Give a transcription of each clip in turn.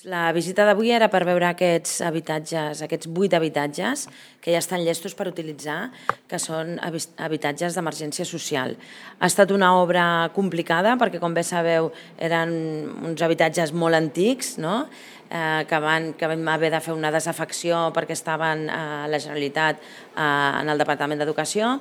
La visita d'avui era per veure aquests habitatges, aquests 8 habitatges que ja estan llestos per utilitzar, que són habitatges d'emergència social. Ha estat una obra complicada perquè, com bé sabeu, eren uns habitatges molt antics, no? Que vam haver de fer una desafecció perquè estaven a la Generalitat en el Departament d'Educació,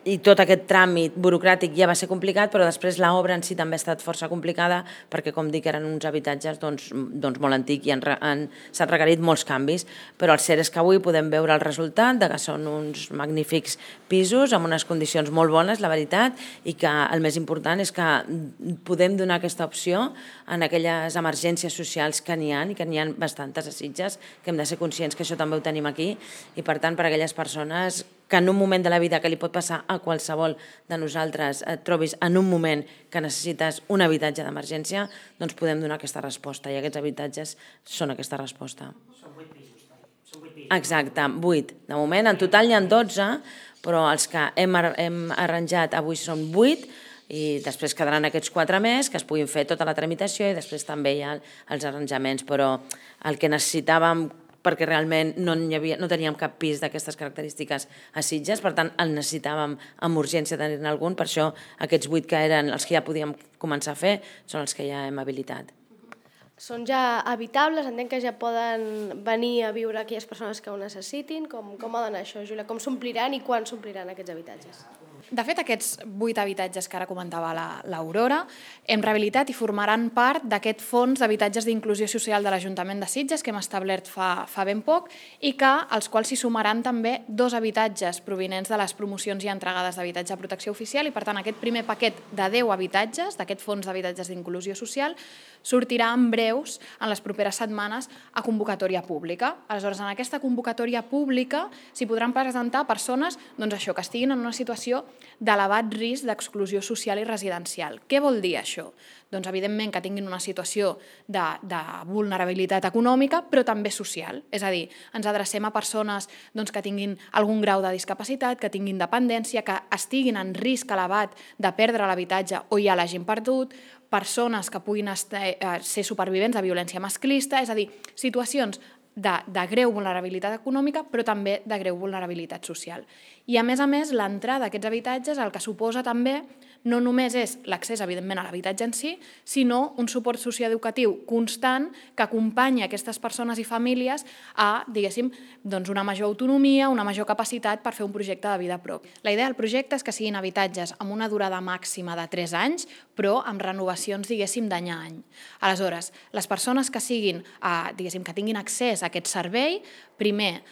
i tot aquest tràmit burocràtic ja va ser complicat, però després l'obra en si també ha estat força complicada perquè, com dic, eren uns habitatges molt antics i s'han requerit molts canvis, però el cert és que avui podem veure el resultat de que són uns magnífics pisos amb unes condicions molt bones, la veritat, i que el més important és que podem donar aquesta opció en aquelles emergències socials que n'hi ha, i que n'hi ha bastantes a Sitges, que hem de ser conscients que això també ho tenim aquí, i per tant, per a aquelles persones que en un moment de la vida que li pot passar a qualsevol de nosaltres et trobis en un moment que necessites un habitatge d'emergència, doncs podem donar aquesta resposta, i aquests habitatges són aquesta resposta. Són 8 pisos. Exacte, 8. De moment, en total n'hi ha 12, però els que hem arranjat avui són 8, i després quedaran aquests 4 més, que es puguin fer tota la tramitació, i després també hi ha els arranjaments, però el que necessitàvem, perquè realment no teníem cap pis d'aquestes característiques a Sitges, per tant el necessitàvem amb urgència tenir-ne algun, per això aquests 8 que eren els que ja podíem començar a fer són els que ja hem habilitat. Són ja habitables, entenc que ja poden venir a viure aquelles persones que ho necessitin. Com ha d'anar això, Júlia? Com s'ompliran i quan s'ompliran aquests habitatges? De fet, aquests 8 habitatges que ara comentava l'Aurora hem rehabilitat i formaran part d'aquest fons d'habitatges d'inclusió social de l'Ajuntament de Sitges que hem establert fa ben poc, i que als quals s'hi sumaran també 2 habitatges provinents de les promocions ja entregades d'habitatge de protecció oficial, i per tant aquest primer paquet de 10 habitatges d'aquest fons d'habitatges d'inclusió social sortirà en breus, en les properes setmanes, a convocatòria pública. Aleshores, en aquesta convocatòria pública s'hi podran presentar persones que estiguin en una situació d'elevat risc d'exclusió social i residencial. Què vol dir això? Doncs, evidentment, que tinguin una situació de vulnerabilitat econòmica, però també social. És a dir, ens adrecem a persones que tinguin algun grau de discapacitat, que tinguin dependència, que estiguin en risc elevat de perdre l'habitatge o ja l'hagin perdut, persones que puguin ser supervivents de violència masclista, és a dir, situacions de greu vulnerabilitat econòmica, però també de greu vulnerabilitat social. I, a més, l'entrada a aquests habitatges el que suposa també no només és l'accés, evidentment, a l'habitatge en si, sinó un suport socioeducatiu constant que acompanya aquestes persones i famílies a, diguéssim, una major autonomia, una major capacitat per fer un projecte de vida propi. La idea del projecte és que siguin habitatges amb una durada màxima de 3 anys, però amb renovacions, diguéssim, d'any a any. Aleshores, les persones que siguin, diguéssim, que tinguin accés a aquest servei, primer,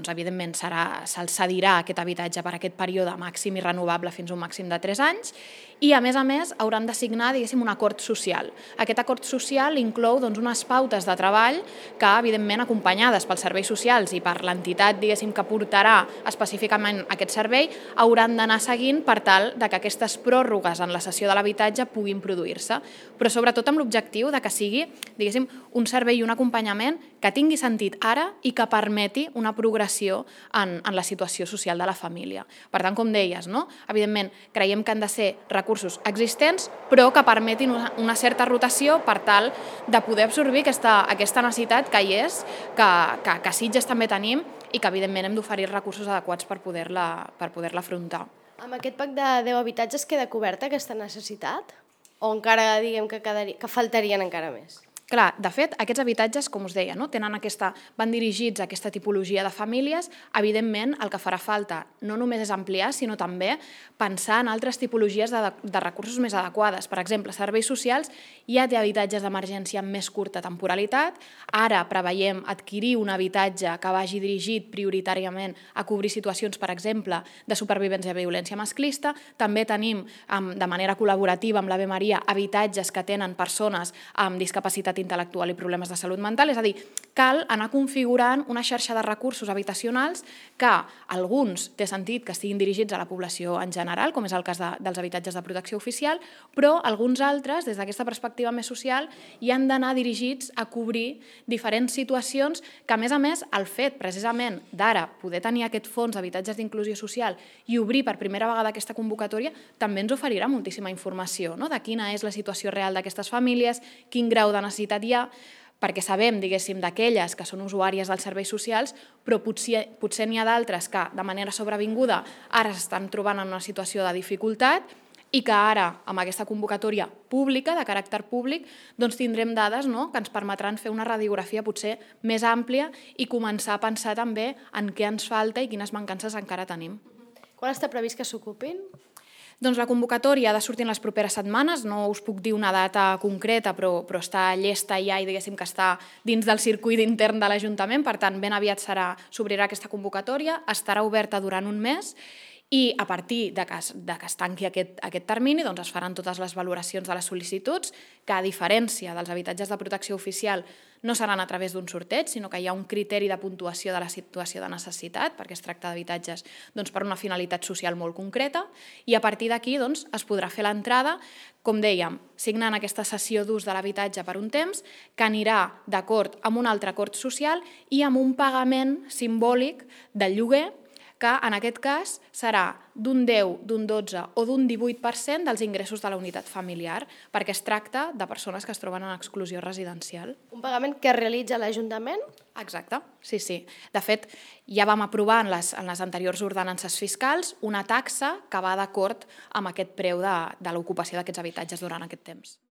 evidentment, se'ls cedirà aquest habitatge per aquest període màxim i renovable fins a un màxim de 3 anys, i, a més, hauran de signar, diguéssim, un acord social. Aquest acord social inclou unes pautes de treball que, evidentment, acompanyades pels serveis socials i per l'entitat, diguéssim, que portarà específicament aquest servei, hauran d'anar seguint per tal que aquestes pròrrogues en la cessió de l'habitatge puguin produir-se, però sobretot amb l'objectiu que sigui, diguéssim, un servei i un acompanyament que tingui sentit ara i que permeti una progressió en la situació social de la família. Per tant, com deies, evidentment, creiem que han de ser recursos existents, però que permetin una certa rotació per tal de poder absorbir aquesta necessitat que hi és, que a Sitges també tenim, i que, evidentment, hem d'oferir recursos adequats per poder-la afrontar. Amb aquest pack de 10 habitatges queda coberta aquesta necessitat? O encara, diguem, que faltarien encara més? Clar, de fet, aquests habitatges, com us deia, van dirigits a aquesta tipologia de famílies. Evidentment, el que farà falta no només és ampliar, sinó també pensar en altres tipologies de recursos més adequades. Per exemple, serveis socials ja té habitatges d'emergència amb més curta temporalitat. Ara preveiem adquirir un habitatge que vagi dirigit prioritàriament a cobrir situacions, per exemple, de supervivència de violència masclista. També tenim, de manera col·laborativa amb l'Ave Maria, habitatges que tenen persones amb discapacitat intel·lectual i problemes de salut mental. És a dir, cal anar configurant una xarxa de recursos habitacionals que alguns té sentit que estiguin dirigits a la població en general, com és el cas dels habitatges de protecció oficial, però alguns altres, des d'aquesta perspectiva més social, hi han d'anar dirigits a cobrir diferents situacions que, a més, el fet precisament d'ara poder tenir aquest fons d'habitatges d'inclusió social i obrir per primera vegada aquesta convocatòria també ens oferirà moltíssima informació de quina és la situació real d'aquestes famílies, quin grau de necessitat hi ha, perquè sabem, diguéssim, d'aquelles que són usuàries dels serveis socials, però potser n'hi ha d'altres que, de manera sobrevinguda, ara s'estan trobant en una situació de dificultat i que ara, amb aquesta convocatòria pública, de caràcter públic, doncs tindrem dades que ens permetran fer una radiografia potser més àmplia i començar a pensar també en què ens falta i quines mancances encara tenim. Quan està previst que s'ocupin? Doncs la convocatòria ha de sortir en les properes setmanes, no us puc dir una data concreta, però està llesta ja i diguéssim que està dins del circuit intern de l'Ajuntament, per tant, ben aviat s'obrirà aquesta convocatòria, estarà oberta durant un mes i a partir de que es tanqui aquest termini es faran totes les valoracions de les sol·licituds, que a diferència dels habitatges de protecció oficial no seran a través d'un sorteig, sinó que hi ha un criteri de puntuació de la situació de necessitat, perquè es tracta d'habitatges per una finalitat social molt concreta, i a partir d'aquí es podrà fer l'entrada, com dèiem, signant aquesta cessió d'ús de l'habitatge per un temps, que anirà d'acord amb un altre acord social i amb un pagament simbòlic del lloguer, que en aquest cas serà d'un 10, d'un 12 o d'un 18% dels ingressos de la unitat familiar, perquè es tracta de persones que es troben en exclusió residencial. Un pagament que realitza l'Ajuntament? Exacte, sí. De fet, ja vam aprovar en les anteriors ordenances fiscals una taxa que va d'acord amb aquest preu de l'ocupació d'aquests habitatges durant aquest temps.